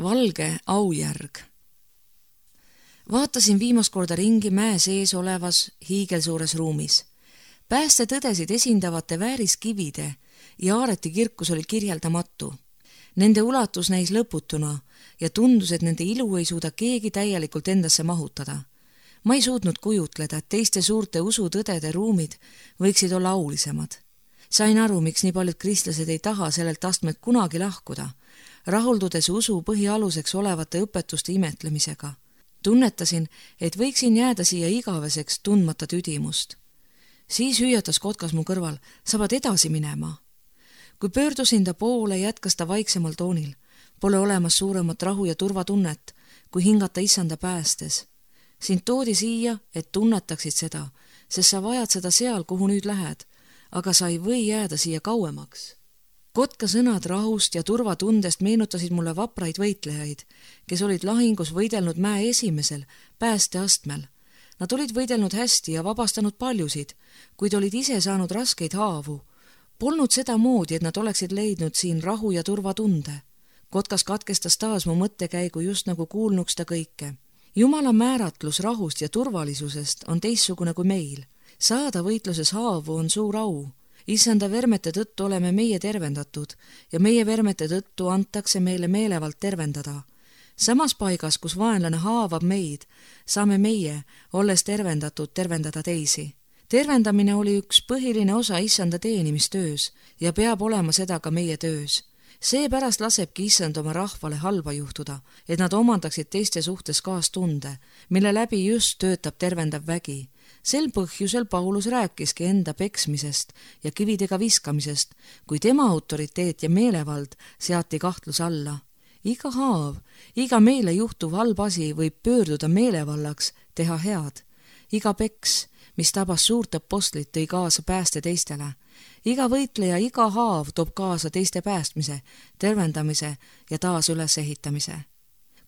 Valge aujärg. Vaatasin viimast korda ringi mäe sees olevas hiigelsuures ruumis. Päästetõdesid esindavate vääriskivide ja Aareti kirkus oli kirjeldamatu. Nende ulatus näis lõputuna ja tundus, et nende ilu ei suuda keegi täielikult endasse mahutada. Ma ei suutnud kujutleda, et teiste suurte usutõdede ruumid võiksid olla aulisemad. Sain aru, miks nii paljud kristlased ei taha sellelt astmelt kunagi lahkuda, rahuldudes usu põhialuseks olevate õpetuste imetlemisega. Tunnetasin, et võiksin jääda siia igaveseks tundmata tüdimust. Siis hüüatas Kotkas mu kõrval, sa pead edasi minema. Kui pöördusin ta poole, jätkas ta vaiksemal toonil. Pole olemas suuremat rahu ja turvatunnet, kui hingata Issanda päästes. Sind toodi siia, et tunnetaksid seda, sest sa vajad seda seal, kuhu nüüd lähed, aga sa ei või jääda siia kauemaks. Kotka sõnad rahust ja turvatundest meenutasid mulle vapraid võitlejaid, kes olid lahingus võidelnud mäe esimesel päästeastmel. Nad olid võidelnud hästi ja vabastanud paljusid, kuid olid ise saanud raskeid haavu. Polnud seda moodi, et nad oleksid leidnud siin rahu ja turvatunde. Kotkas katkestas taas mu mõttekäigu just nagu kuulnuks ta kõike. Jumala määratlus rahust ja turvalisusest on teistsugune kui meil. Saada võitluses haavu on suur au. Issanda vermete tõttu oleme meie tervendatud ja meie vermete tõttu antakse meile meelevalt tervendada. Samas paigas, kus vaenlane haavab meid, saame meie, olles tervendatud, tervendada teisi. Tervendamine oli üks põhiline osa Issanda teenimistöös ja peab olema seda ka meie töös. Seepärast lasebki Issand oma rahvale halba juhtuda, et nad omandaksid teiste suhtes kaastunde, mille läbi just töötab tervendav vägi. Sel põhjusel Paulus rääkiski enda peksmisest ja kividega viskamisest, kui tema autoriteet ja meelevald seati kahtluse alla. Iga haav, iga meile juhtuv halb asi võib pöörduda meelevallaks, teha head. Iga peks, mis tabas suurt apostlit, tõi kaasa pääste teistele. Iga võitleja, iga haav toob kaasa teiste päästmise, tervendamise ja taas ülesehitamise.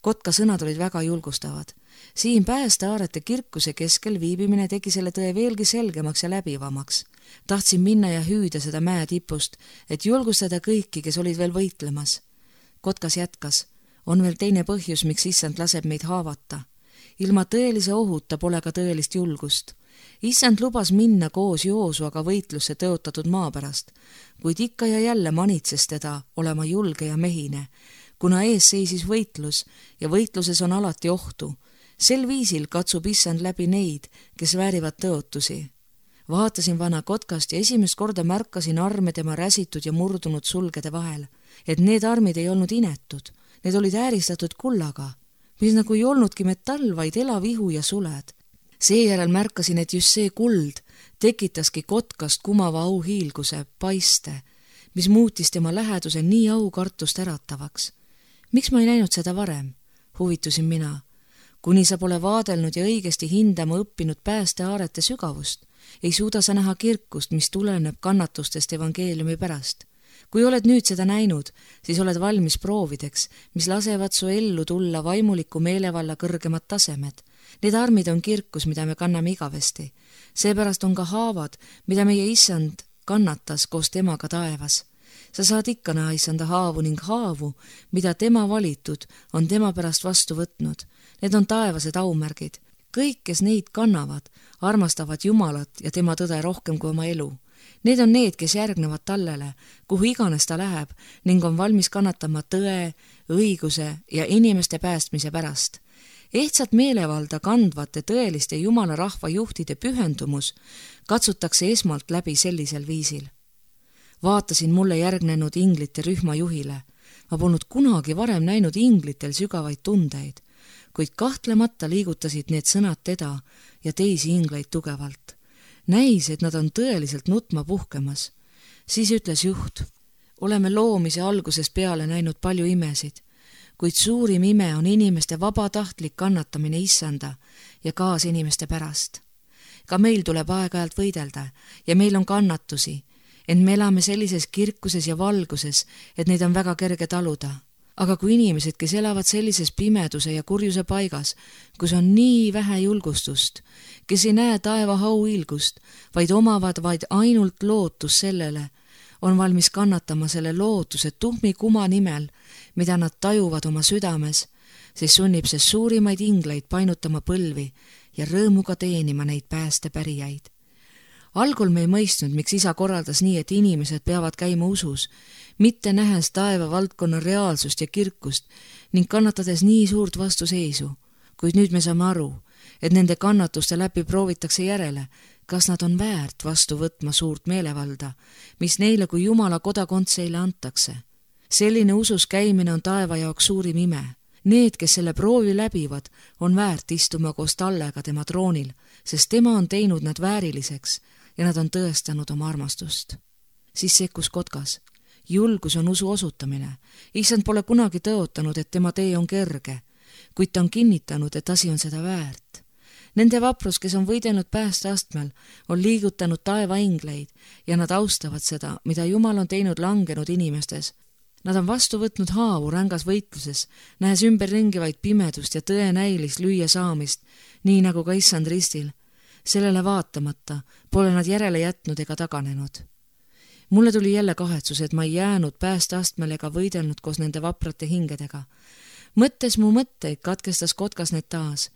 Kotka sõnad olid väga julgustavad. Siin Päästeaarete kirkuse keskel viibimine tegi selle tõe veelgi selgemaks ja läbivamaks. Tahtsin minna ja hüüda seda mäe tipust, et julgustada kõiki, kes olid veel võitlemas. Kotkas jätkas, on veel teine põhjus, miks Issand laseb meid haavata. Ilma tõelise ohuta pole ka tõelist julgust. Issand lubas minna koos Joosuaga võitlusse tõotatud maa pärast, kuid ikka ja jälle manitses teda olema julge ja mehine, kuna ees seisis võitlus ja võitluses on alati ohtu. Sel viisil katsub Issand läbi neid, kes väärivad tõotusi. Vaatasin vana Kotkast ja esimest korda märkasin arme tema räsitud ja murdunud sulgede vahel, et need armid ei olnud inetud, need olid ääristatud kullaga, mis nagu ei olnudki metall, vaid elav ihu ja suled. Seejärel märkasin, et just see kuld tekitaski Kotkast kumava auhiilguse, paiste, mis muutis tema läheduse nii aukartust äratavaks. Miks ma ei näinud seda varem? Huvitusin mina. Kuni sa pole vaadelnud ja õigesti hindama õppinud Päästeaarete sügavust, ei suuda sa näha kirkust, mis tuleneb kannatustest evangeeliumi pärast. Kui oled nüüd seda näinud, siis oled valmis proovideks, mis lasevad su ellu tulla vaimuliku meelevalla kõrgemad tasemed. Need armid on kirkus, mida me kanname igavesti. Seepärast on ka haavad, mida meie Issand kannatas koos temaga taevas. Sa saad ikka näha Issanda haavu ning haavu, mida tema valitud on tema pärast vastu võtnud. Need on taevased aumärgid. Kõik, kes neid kannavad, armastavad Jumalat ja tema tõde rohkem kui oma elu. Need on need, kes järgnevad tallele, kuhu iganes ta läheb ning on valmis kannatama tõe, õiguse ja inimeste päästmise pärast. Ehtsat meelevalda kandvate tõeliste Jumala rahva juhtide pühendumus katsutakse esmalt läbi sellisel viisil. Vaatasin mulle järgnenud inglite rühma juhile. Ma polnud kunagi varem näinud inglitel sügavaid tundeid, kuid kahtlemata liigutasid need sõnad teda ja teisi ingleid tugevalt. Näis, et nad on tõeliselt nutma puhkemas. Siis ütles juht, oleme loomise algusest peale näinud palju imesid, kuid suurim ime on inimeste vabatahtlik kannatamine Issanda ja kaasinimeste pärast. Ka meil tuleb aeg-ajalt võidelda ja meil on kannatusi, ent me elame sellises kirkuses ja valguses, et neid on väga kerge taluda. Aga kui inimesed, kes elavad sellises pimeduse ja kurjuse paigas, kus on nii vähe julgustust, kes ei näe taeva hauilgust, vaid omavad vaid ainult lootus sellele, on valmis kannatama selle lootuse tuhmi kuma nimel, mida nad tajuvad oma südames, siis sunnib see suurimaid ingleid painutama põlvi ja rõõmuga teenima neid päästepärijaid. Algul me ei mõistnud, miks isa korraldas nii, et inimesed peavad käima usus, mitte nähes taeva valdkonna reaalsust ja kirkust ning kannatades nii suurt vastuseisu. Kuid nüüd me saame aru, et nende kannatuste läbi proovitakse järele, kas nad on väärt vastu võtma suurt meelevalda, mis neile kui Jumala kodakondseile antakse. Selline usus käimine on taeva jaoks suurim ime. Need, kes selle proovi läbivad, on väärt istuma koos tallega tema troonil, sest tema on teinud nad vääriliseks ja nad on tõestanud oma armastust. Siis sekkus Kotkas. Julgus on usu osutamine. Issand pole kunagi tõotanud, et tema tee on kerge, kuid ta on kinnitanud, et asi on seda väärt. Nende vaprus, kes on võidelnud päästeastmel, on liigutanud taeva ingleid ja nad austavad seda, mida Jumal on teinud langenud inimestes. Nad on vastu võtnud haavu rängas võitluses, nähes ümberringi vaid pimedust ja tõe näilist lüüa saamist, nii nagu ka issand ristil. Sellele vaatamata pole nad järele jätnud ega taganenud. Mulle tuli jälle kahetsus, et ma ei jäänud päästeastmel ega võidelnud koos nende vaprate hingedega. Mõttes mu mõtteid katkestas Kotkas need taas.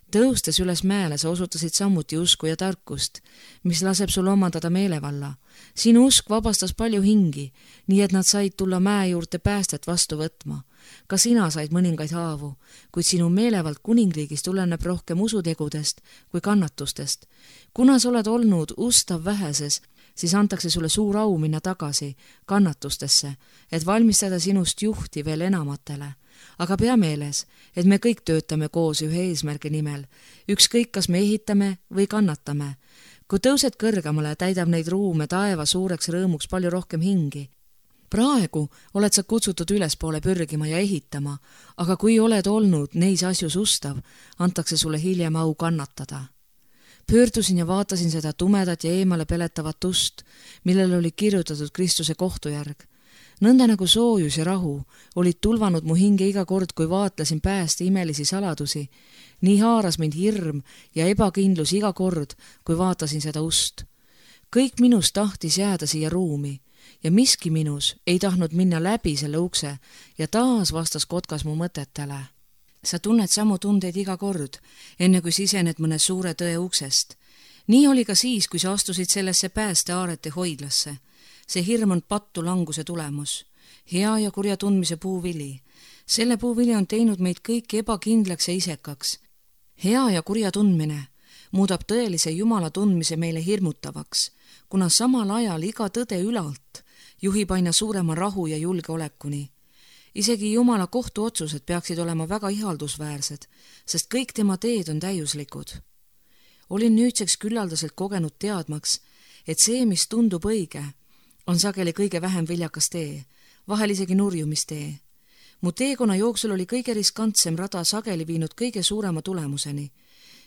Tõustes üles mäele sa osutasid samuti usku ja tarkust, mis laseb sul omandada meelevalla. Sinu usk vabastas palju hingi, nii et nad said tulla mäe juurde päästet vastu võtma. Ka sina said mõningaid haavu, kuid sinu meelevald kuningriigis tuleneb rohkem usutegudest kui kannatustest. Kuna sa oled olnud ustav väheses, siis antakse sulle suur au minna tagasi kannatustesse, et valmistada sinust juhti veel enamatele. Aga pea meeles, et me kõik töötame koos ühe eesmärgi nimel, ükskõik kas me ehitame või kannatame. Kui tõused kõrgemale, täidab neid ruume taeva suureks rõõmuks palju rohkem hingi. Praegu oled sa kutsutud ülespoole pürgima ja ehitama, aga kui oled olnud neis asjus ustav, antakse sulle hiljem au kannatada. Pöördusin ja vaatasin seda tumedat ja eemale peletavat ust, millel oli kirjutatud Kristuse kohtujärg. Nõnda nagu soojus ja rahu olid tulvanud mu hinge iga kord, kui vaatlesin pääste imelisi saladusi. Nii haaras mind hirm ja ebakindlus iga kord, kui vaatasin seda ust. Kõik minus tahtis jääda siia ruumi ja miski minus ei tahtnud minna läbi selle ukse ja taas vastas Kotkas mu mõtetele. Sa tunned samu tundeid iga kord, enne kui sisened mõne suure tõe uksest. Nii oli ka siis, kui sa astusid sellesse päästeaarete hoidlasse. See hirm on pattu languse tulemus, hea ja kurja tundmise puuvili. Selle puuvili on teinud meid kõik ebakindlaks ja isekaks. Hea ja kurja tundmine muudab tõelise Jumala tundmise meile hirmutavaks, kuna samal ajal iga tõde ülalt juhib aina suurema rahu ja julgeolekuni. Isegi Jumala kohtuotsused peaksid olema väga ihaldusväärsed, sest kõik tema teed on täiuslikud. Olin nüüdseks küllaldaselt kogenud teadmaks, et see, mis tundub õige, on sageli kõige vähem viljakas tee, vahel isegi nurjumistee. Mu teekonna jooksul oli kõige riskantsem rada sageli viinud kõige suurema tulemuseni.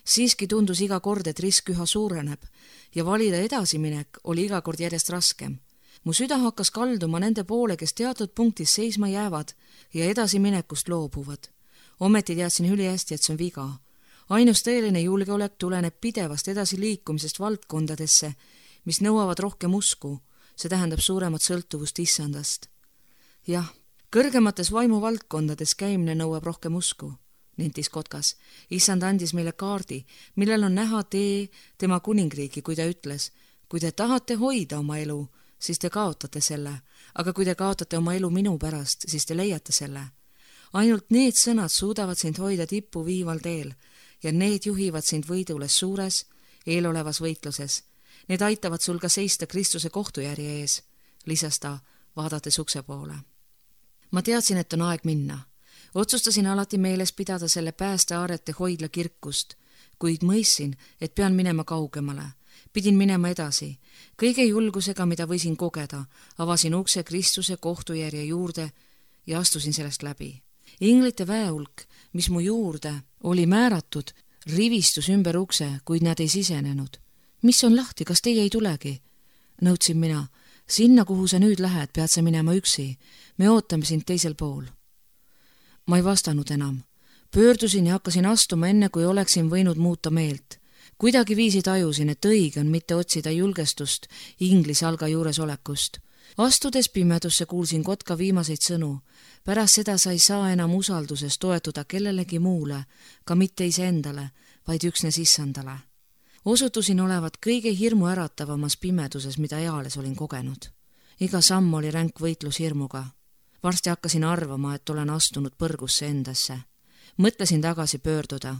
Siiski tundus iga kord, et risk üha suureneb ja valida edasiminek oli iga kord järjest raskem. Mu süda hakkas kalduma nende poole, kes teatud punktis seisma jäävad ja edasiminekust loobuvad. Ometi teadsin ülihästi, et see on viga. Ainus tõeline julgeolek tuleneb pidevast edasiliikumisest valdkondadesse, mis nõuavad rohkem usku. See tähendab suuremat sõltuvust issandast. Jah, kõrgemates vaimuvaldkondades käimine nõuab rohkem usku, nentis Kotkas. Issand andis meile kaardi, millel on näha tee tema kuningriigi, kui ta ütles, kui te tahate hoida oma elu, siis te kaotate selle, aga kui te kaotate oma elu minu pärast, siis te leiate selle. Ainult need sõnad suudavad sind hoida tippu viival teel ja need juhivad sind võidule suures, eelolevas võitluses. Need aitavad sul ka seista Kristuse kohtujärje ees, lisas ta, vaadates ukse poole. Ma teadsin, et on aeg minna. Otsustasin alati meeles pidada selle päästeaarete hoidla kirkust, kuid mõistsin, et pean minema kaugemale. Pidin minema edasi. Kõige julgusega, mida võisin kogeda, avasin ukse Kristuse kohtujärje juurde ja astusin sellest läbi. Inglite väehulk, mis mu juurde oli määratud, rivistus ümber ukse, kuid nad ei sisenenud. Mis on lahti, kas teie ei tulegi? Nõudsin mina. Sinna, kuhu sa nüüd lähed, pead sa minema üksi. Me ootame sind teisel pool. Ma ei vastanud enam. Pöördusin ja hakkasin astuma enne, kui oleksin võinud muuta meelt. Kuidagi viisi tajusin, et õige on mitte otsida julgestust ingli salga juures olekust. Astudes pimedusse kuulsin kotka viimaseid sõnu. Pärast seda sa ei saa enam usalduses toetuda kellelegi muule, ka mitte iseendale, vaid üksnes issandale. Osutusin olevat kõige hirmu äratavamas pimeduses, mida eales olin kogenud. Iga samm oli ränk võitlus hirmuga. Varsti hakkasin arvama, et olen astunud põrgusse endasse. Mõtlesin tagasi pöörduda,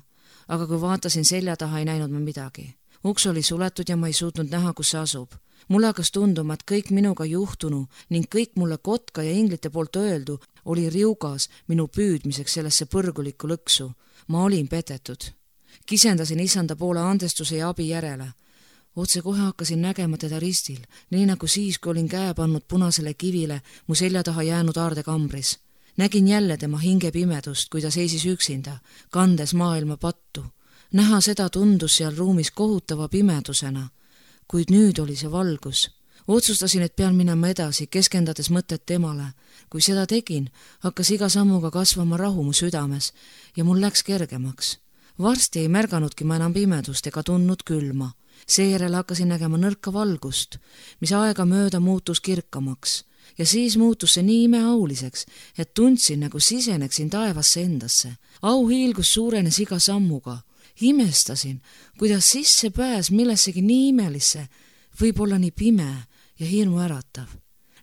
aga kui vaatasin selja taha, ei näinud ma midagi. Uks oli suletud ja ma ei suutnud näha, kus see asub. Mulle hakkas tunduma, et kõik minuga juhtunu ning kõik mulle kotka ja inglite poolt öeldu oli riugas minu püüdmiseks sellesse põrgulikku lõksu. Ma olin petetud. Kisendasin issanda poole andestuse ja abi järele. Otse kohe hakkasin nägema teda ristil, nii nagu siis, kui olin käe pannud punasele kivile mu selja taha jäänud aardekambris. Nägin jälle tema hinge pimedust, kui ta seisis üksinda, kandes maailma pattu. Näha seda tundus seal ruumis kohutava pimedusena, kuid nüüd oli see valgus. Otsustasin, et pean minema edasi, keskendades mõtet temale. Kui seda tegin, hakkas iga sammuga kasvama rahu mu südames ja mul läks kergemaks. Varsti ei märganudki ma enam pimedust ega tundnud külma. Seejärel hakkasin nägema nõrka valgust, mis aega mööda muutus kirkamaks. Ja siis muutus see nii imeauliseks, et tundsin, nagu siseneksin taevasse endasse. Auhiilgus suurenes iga sammuga. Imestasin, kuidas sisse pääs millessegi nii imelisse, võib olla nii pime ja hirmu äratav.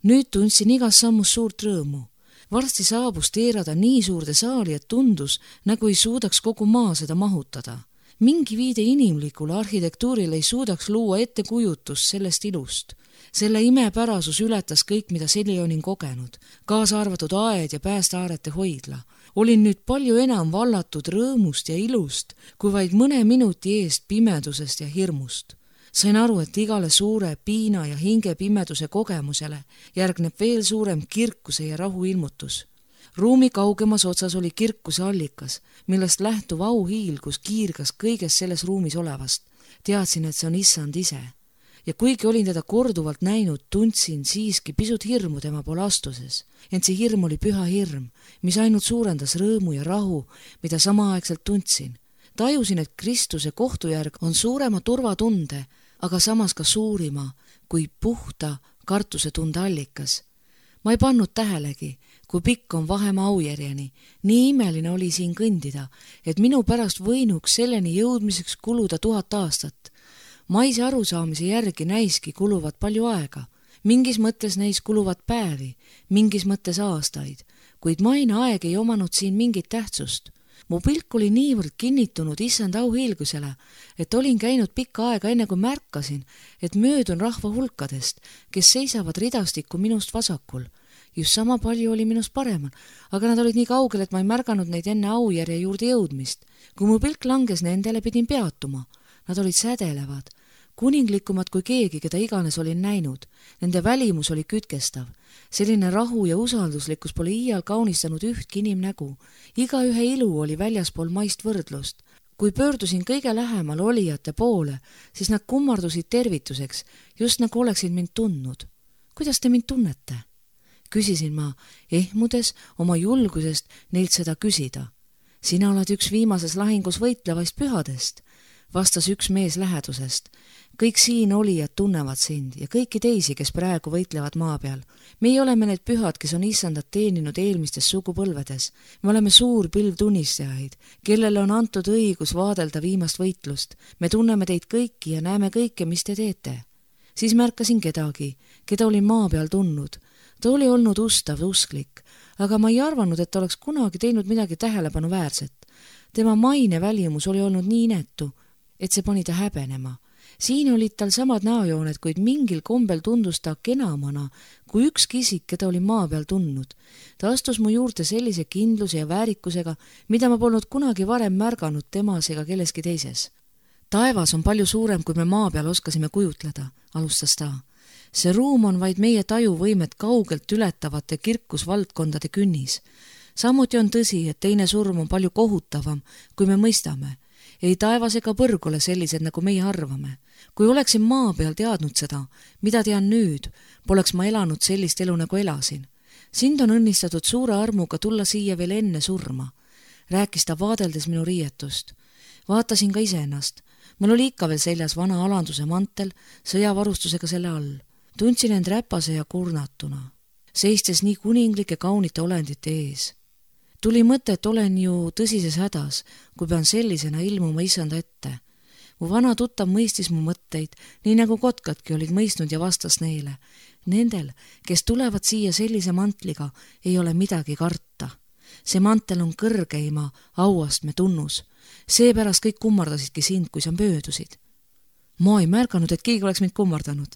Nüüd tundsin igas sammus suurt rõõmu. Varsti saabus teerada nii suurde saali, et tundus, nagu ei suudaks kogu maa seda mahutada. Mingi viide inimlikule arhitektuurile ei suudaks luua ettekujutust sellest ilust. Selle imepärasus ületas kõik, mida seni olin kogenud, kaasa arvatud aed ja päästeaarete hoidla. Olin nüüd palju enam vallatud rõõmust ja ilust, kui vaid mõne minuti eest pimedusest ja hirmust. Sain aru, et igale suure piina ja hinge pimeduse kogemusele järgneb veel suurem kirkuse ja rahu ilmutus. Ruumi kaugemas otsas oli kirkuse allikas, millest lähtuv auhiilgus kiirgas kõiges selles ruumis olevast. Teadsin, et see on issand ise. Ja kuigi olin teda korduvalt näinud, tundsin siiski pisut hirmu tema poole astuses. Ent see hirm oli püha hirm, mis ainult suurendas rõõmu ja rahu, mida samaaegselt tundsin. Tajusin, et Kristuse kohtujärg on suurema turvatunde, aga samas ka suurima kui puhta kartusetunde allikas. Ma ei pannud tähelegi, kui pikk on vahemaa aujärjeni. Nii imeline oli siin kõndida, et minu pärast võinuks selleni jõudmiseks kuluda 1000 aastat. Maise arusaamise järgi näiski kuluvat palju aega. Mingis mõttes neis kuluvat päevi, mingis mõttes aastaid, kuid maine aeg ei omanud siin mingit tähtsust. Mu pilk oli niivõrd kinnitunud issand auhiilgusele, et olin käinud pikka aega enne kui märkasin, et möödun rahva hulkadest, kes seisavad ridastikku minust vasakul. Just sama palju oli minust paremal, aga nad olid nii kaugel, et ma ei märganud neid enne aujärje juurde jõudmist. Kui mu pilk langes nendele, pidin peatuma. Nad olid sädelevad, kuninglikumad kui keegi, keda iganes olin näinud. Nende välimus oli kütkestav. Selline rahu ja usalduslikkus pole iial kaunistanud ühtki inimnägu. Igaühe ilu oli väljaspool maist võrdlust. Kui pöördusin kõige lähemal olijate poole, siis nad kummardusid tervituseks, just nagu oleksid mind tundnud. Kuidas te mind tunnete? Küsisin ma, ehmudes oma julgusest neilt seda küsida. Sina oled üks viimases lahingus võitlevaist pühadest, vastas üks mees lähedusest. Kõik siin olijad tunnevad sind ja kõiki teisi, kes praegu võitlevad maa peal. Meie oleme need pühad, kes on issandat teeninud eelmistes sugupõlvedes. Me oleme suur pilv tunnistajaid, kellele on antud õigus vaadelda viimast võitlust. Me tunneme teid kõiki ja näeme kõike, mis te teete. Siis märkasin kedagi, keda olin maa peal tundnud. Ta oli olnud ustav, usklik, aga ma ei arvanud, et ta oleks kunagi teinud midagi tähelepanuväärset. Tema maine välimus oli olnud nii inetu, et see pani ta häbenema. Siin olid tal samad näojooned, kuid mingil kombel tundus ta kenamana kui ükski isik, keda oli maa peal tundnud. Ta astus mu juurde sellise kindluse ja väärikusega, mida ma polnud kunagi varem märganud temas ega kelleski teises. Taevas on palju suurem, kui me maa peal oskasime kujutleda, alustas ta. See ruum on vaid meie tajuvõimet kaugelt ületavate kirkusvaldkondade künnis. Samuti on tõsi, et teine surm on palju kohutavam, kui me mõistame. Ei taevas ega põrg ole sellised, nagu meie arvame. Kui oleksin maa peal teadnud seda, mida tean nüüd, poleks ma elanud sellist elu, nagu elasin. Sind on õnnistatud suure armuga tulla siia veel enne surma, rääkis ta vaadeldes minu riietust. Vaatasin ka iseennast. Mul oli ikka veel seljas vana alanduse mantel, sõjavarustusega selle all. Tundsin end räpase ja kurnatuna, seistes nii kuninglike kaunite olendite ees. Tuli mõte, et olen ju tõsises hädas, kui pean sellisena ilmuma issanda ette. Mu vana tuttav mõistis mu mõtteid, nii nagu kotkadki olid mõistnud ja vastas neile. Nendel, kes tulevad siia sellise mantliga, ei ole midagi karta. See mantel on kõrgeima auastme tunnus. Seepärast kõik kummardasidki sind, kui sa möödusid. Ma ei märganud, et keegi oleks mind kummardanud.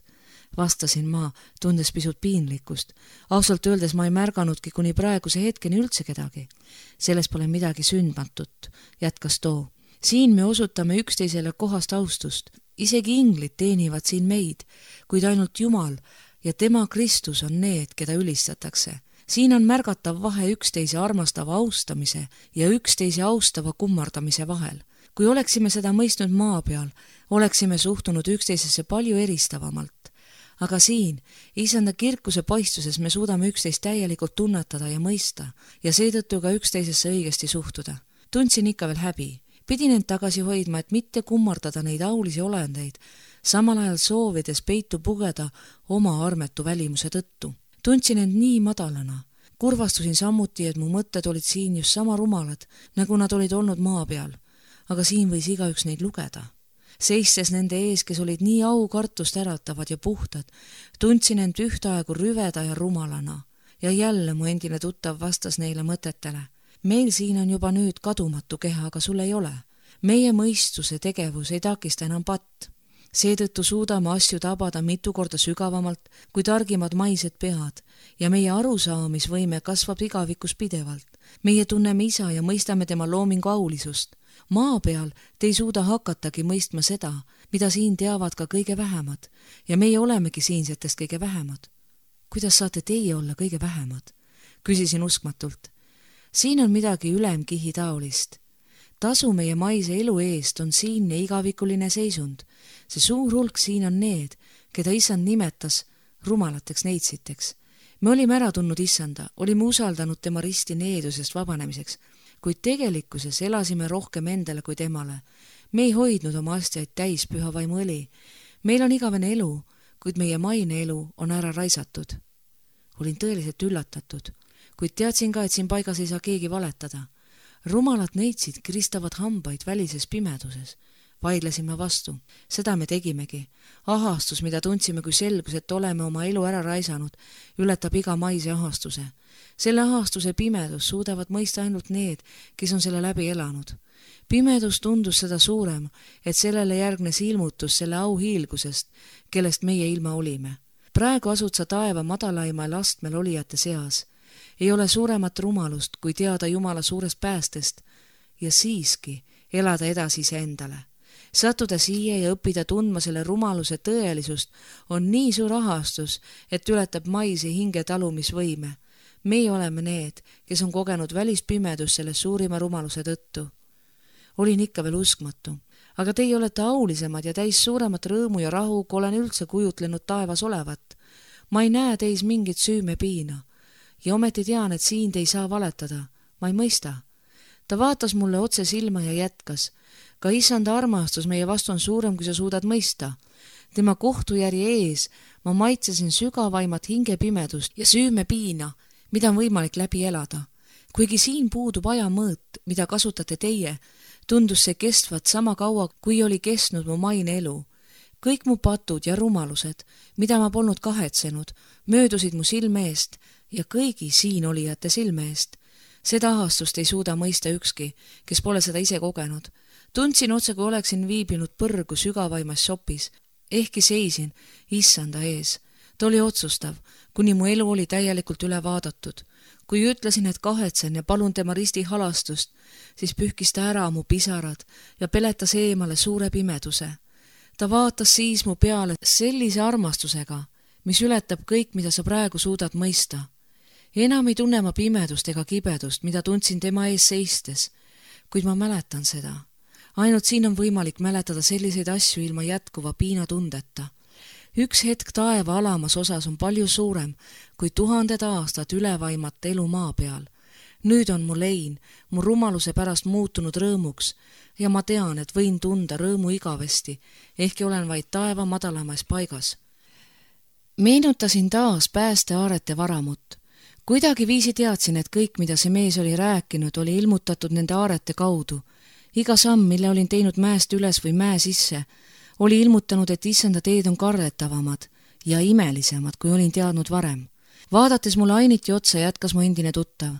Vastasin ma, tundes pisut piinlikkust. Ausalt öeldes ma ei märganudki kuni praeguse hetkeni üldse kedagi. Selles pole midagi sündmatut, jätkas too. Siin me osutame üksteisele kohast austust. Isegi inglid teenivad siin meid, kuid ainult Jumal ja tema Kristus on need, keda ülistatakse. Siin on märgatav vahe üksteise armastava austamise ja üksteise austava kummardamise vahel. Kui oleksime seda mõistnud maa peal, oleksime suhtunud üksteisesse palju eristavamalt. Aga siin, isanda kirkuse paistuses me suudame üksteist täielikult tunnetada ja mõista ja seetõttu ka üksteisesse õigesti suhtuda. Tundsin ikka veel häbi. Pidin end tagasi hoidma, et mitte kummardada neid aulisi olendeid, samal ajal soovides peitu pugeda oma armetu välimuse tõttu. Tundsin end nii madalana. Kurvastusin samuti, et mu mõtted olid siin just sama rumalad, nagu nad olid olnud maa peal. Aga siin võis igaüks neid lugeda. Seistes nende ees, kes olid nii aukartust äratavad ja puhtad, tundsin end ühtaegu rüveda ja rumalana. Ja jälle mu endine tuttav vastas neile mõtetele. Meil siin on juba nüüd kadumatu keha, aga sul ei ole. Meie mõistuse tegevus ei takista enam patt. Seetõttu suudame asju tabada mitu korda sügavamalt kui targimad maised pead ja meie arusaamisvõime kasvab igavikus pidevalt. Meie tunneme isa ja mõistame tema loomingu aulisust. Maa peal te ei suuda hakatagi mõistma seda, mida siin teavad ka kõige vähemad ja meie olemegi siinsetest kõige vähemad. Kuidas saate teie olla kõige vähemad? Küsisin uskmatult. Siin on midagi ülemkihi taolist. Tasu meie maise elu eest on siinne igavikuline seisund. See suur hulk siin on need, keda issand nimetas rumalateks neitsiteks. Me olime ära tundnud issanda, olime usaldanud tema risti needusest vabanemiseks, kuid tegelikkuses elasime rohkem endale kui temale. Me ei hoidnud oma astjaid täis püha vaimu õli. Meil on igavene elu, kuid meie maine elu on ära raisatud. Olin tõeliselt üllatatud, kuid teadsin ka, et siin paigas ei saa keegi valetada. Rumalad neitsid kristavad hambaid välises pimeduses. Vaidlesime vastu. Seda me tegimegi. Ahastus, mida tundsime, kui selgus, et oleme oma elu ära raisanud, ületab iga maise ahastuse. Selle ahastuse pimedus suudavad mõista ainult need, kes on selle läbi elanud. Pimedus tundus seda suurem, et sellele järgnes ilmutus selle auhiilgusest, kellest meie ilma olime. Praegu asud sa taeva madalaimal astmel olijate seas. Ei ole suuremat rumalust, kui teada Jumala suurest päästest ja siiski elada edasi iseendale. Sattuda siia ja õppida tundma selle rumaluse tõelisust on nii suur ahastus, et ületab maisi hinge talumisvõime. Meie oleme need, kes on kogenud välispimedust selle suurima rumaluse tõttu. Olin ikka veel uskmatu, aga teie olete aulisemad ja täis suuremat rõõmu ja rahu, kui olen üldse kujutlenud taevas olevat. Ma ei näe teis mingit süüme piina. Ja ometi tean, et siin te ei saa valetada. Ma ei mõista. Ta vaatas mulle otse silma ja jätkas. Ka issanda armastus meie vastu on suurem, kui sa suudad mõista. Tema kohtujärje ees ma maitsesin sügavaimat hingepimedust ja süüme piina, mida on võimalik läbi elada. Kuigi siin puudub ajamõõt, mida kasutate teie, tundus see kestvat sama kaua, kui oli kestnud mu maine elu. Kõik mu patud ja rumalused, mida ma polnud kahetsenud, möödusid mu silme eest ja kõigi siin olijate silme eest. Seda ahastust ei suuda mõista ükski, kes pole seda ise kogenud. Tundsin otse, kui oleksin viibinud põrgu sügavaimas sopis, ehkki seisin issanda ees. Ta oli otsustav, kuni mu elu oli täielikult üle vaadatud. Kui ütlesin, et kahetsen ja palun tema risti halastust, siis pühkis ta ära mu pisarad ja peletas eemale suure pimeduse. Ta vaatas siis mu peale sellise armastusega, mis ületab kõik, mida sa praegu suudad mõista. Enam ei tunne ma pimedust ega kibedust, mida tundsin tema ees seistes, kuid ma mäletan seda. Ainult siin on võimalik mäletada selliseid asju ilma jätkuva piinatundeta. Üks hetk taeva alamas osas on palju suurem kui 1000 aastat ülevaimat elu maa peal. Nüüd on mu lein, mu rumaluse pärast muutunud rõõmuks ja ma tean, et võin tunda rõõmu igavesti, ehkki olen vaid taeva madalamas paigas. Meenutasin taas päästeaarete varamut. Kuidagi viisi teadsin, et kõik, mida see mees oli rääkinud, oli ilmutatud nende aarete kaudu. Iga samm, mille olin teinud mäest üles või mäe sisse, oli ilmutanud, et issanda teed on karretavamad ja imelisemad, kui olin teadnud varem. Vaadates mulle ainiti otsa, jätkas mu endine tuttav.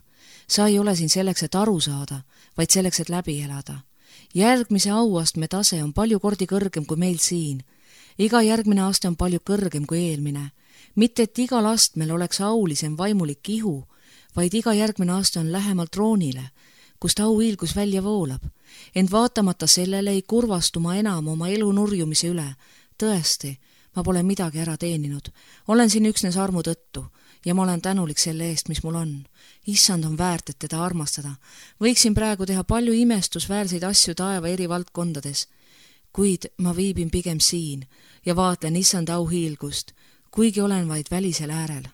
Sa ei ole siin selleks, et aru saada, vaid selleks, et läbi elada. Järgmise auastme tase on palju kordi kõrgem kui meil siin. Iga järgmine aste on palju kõrgem kui eelmine. Mitte, et igal astmel oleks aulisem vaimulik ihu, vaid iga järgmine aste on lähemal troonile, kust auhiilgus välja voolab. Ent vaatamata sellele ei kurvastu ma enam oma elu nurjumise üle. Tõesti, ma pole midagi ära teeninud. Olen siin üksnes armu tõttu ja ma olen tänulik selle eest, mis mul on. Issand on väärt, et teda armastada. Võiksin praegu teha palju imestusväärseid asju taeva eri valdkondades, kuid ma viibin pigem siin ja vaatlen issanda auhiilgust, kuigi olen vaid välisel äärel.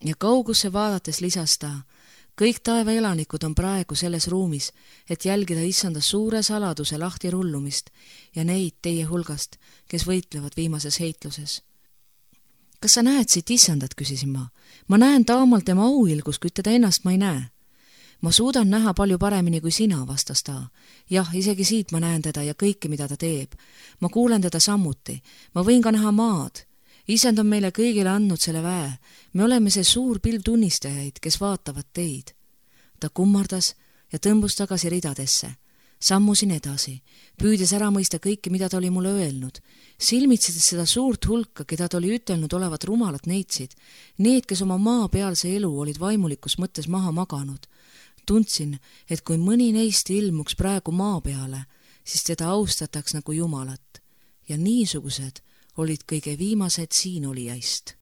Ja kaugusse vaadates lisas ta, kõik taeva elanikud on praegu selles ruumis, et jälgida issanda suure saladuse lahti rullumist ja neid teie hulgast, kes võitlevad viimases heitluses. Kas sa näed siit issandat, küsisin ma. Ma näen taamal tema auhiilgus, kuid teda ennast ma ei näe. Ma suudan näha palju paremini kui sina, vastas ta. Jah, isegi siit ma näen teda ja kõike, mida ta teeb. Ma kuulen teda samuti. Ma võin ka näha maad. Issand on meile kõigile andnud selle väe. Me oleme see suur pilv tunnistajaid, kes vaatavad teid. Ta kummardas ja tõmbus tagasi ridadesse. Sammusin edasi, püüdes ära mõista kõike, mida ta oli mulle öelnud. Silmitsedes seda suurt hulka, keda ta oli ütelnud olevat rumalat neitsid, need, kes oma maapealse elu olid vaimulikus mõttes maha maganud. Tundsin, et kui mõni neist ilmuks praegu maa peale, siis teda austataks nagu Jumalat. Ja niisugused olid kõige viimased siin olijaist.